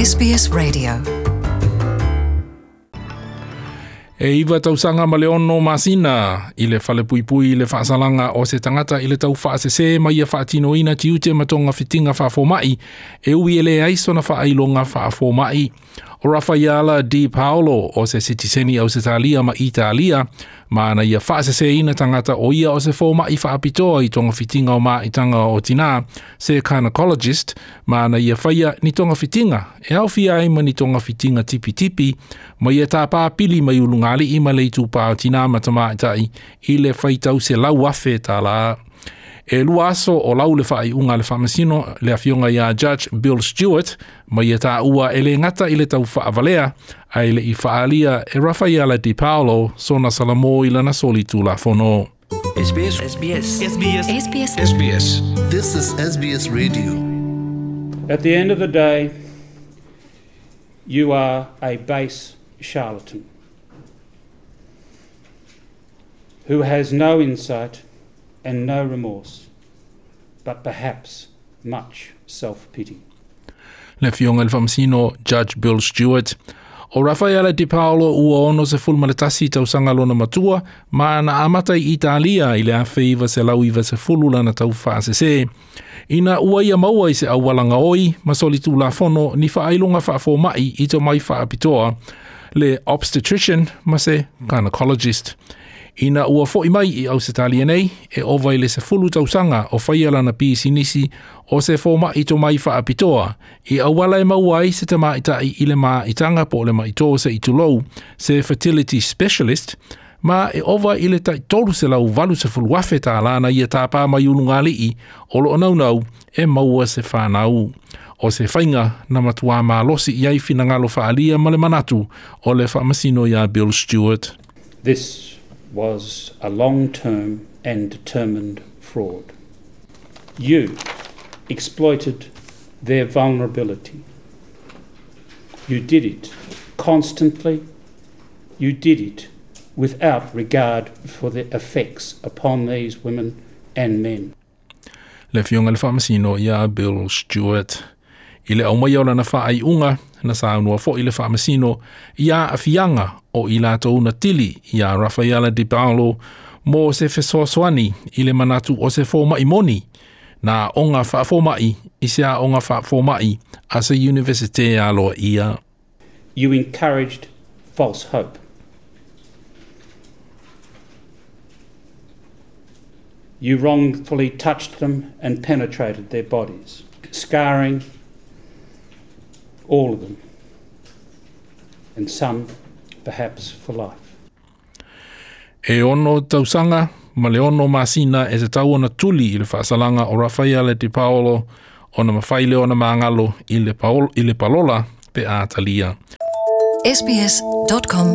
SBS Radio. E 9 tausaga ma le 6 masina i le falepuipui i le faasalaga o se tagata i le tau faasese ma ia faatinoina tiute ma togafitiga faafoma'i e ui e leai sona faailoga faafoma'i. O Raffaella Di Paolo o se sitiseni Ausetalia ma Italia ma na ia faaseseina tagata o ia o se foma'i faapitoa i togafitiga o maitaga o tinā se gynecologist ma na ia faia ni togafitiga e aofia ai ma ni togafitiga tipitipi ma ia tāpā pili mai ulugalii ma le itupā o tinā ma tamaitai i le faitau 100,000 tālā. E 2 aso o lau le faaiuga a le faamasino le afioga iā Judge Bill Stewart ma ia tāua e le gata i le tau faavalea ae le'i faaalia e Raffaella Di Paolo sona salamō i lana soli tulafono. SBS SBS SBS SBS SBS This is SBS Radio. At the end of the day, you are a base charlatan who has no insight and no remorse, but perhaps much self-pity. Le afioga i le faamasino Judge Bill Stewart. O Raffaella Di Paolo ua 61 tausaga lona matua ma na amata i Italia i le 1990 lana tau faasese. Ina ua ia maua i se auala gaoi ma soli tulafono ni faailoga faafoma'i i tomai faapitoa le obstetrician ma se gynecologist. Ina ua fo'i mai i Ausetalia nei, e ova i le 10 tausaga o faia lana pisinisi o se foma'i tomai faapitoa i auala e maua ai se tamaita'i i le maitaga po o le maitō se i tulou, se fertility specialist, ma e ova i le tai 380,000 tālā na ia tāpā mai ulugalii o loo naunau e maua se whanau. O se faiga na matuā malosi i ai finagalo faaalia ma le manatu o le faamasino iā Bill Stewart. This was a long-term and determined fraud. You exploited their vulnerability. You did it constantly. You did it without regard for the effects upon these women and men. Le afioga i le faamasino iā Bill Stewart. I le aumaia o lana faaiuga na saunoa fo'i le faamasino ia aafiaga o i latou na tili iā Raffaella Di Paolo mo se fesoasoani i le manatu o se foma'i moni na aoga faafoma'i i se aoga faafoma'i a se Universite aloaia. You encouraged false hope. You wrongfully touched them and penetrated their bodies, scarring all of them, and some perhaps for life. E 6 tausaga ma le 6 masina e tatau ona tuli i le faasalaga o Raffaella Di Paolo ona mafai lea ona magalo i le, i le palola pe a talia. sbs.com.au